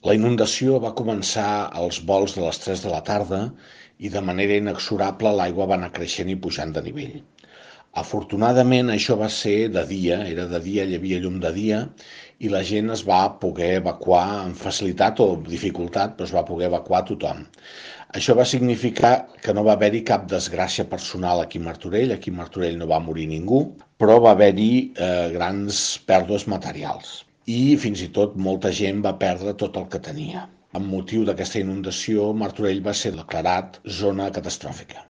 La inundació va començar als volts de les 3 de la tarda i de manera inexorable l'aigua va anar creixent i pujant de nivell. Afortunadament això va ser de dia, era de dia, hi havia llum de dia i la gent es va poder evacuar amb facilitat o dificultat, però es va poder evacuar tothom. Això va significar que no va haver-hi cap desgràcia personal aquí a Martorell no va morir ningú, però va haver-hi grans pèrdues materials. I fins i tot molta gent va perdre tot el que tenia. Amb motiu d'aquesta inundació, Martorell va ser declarat zona catastròfica.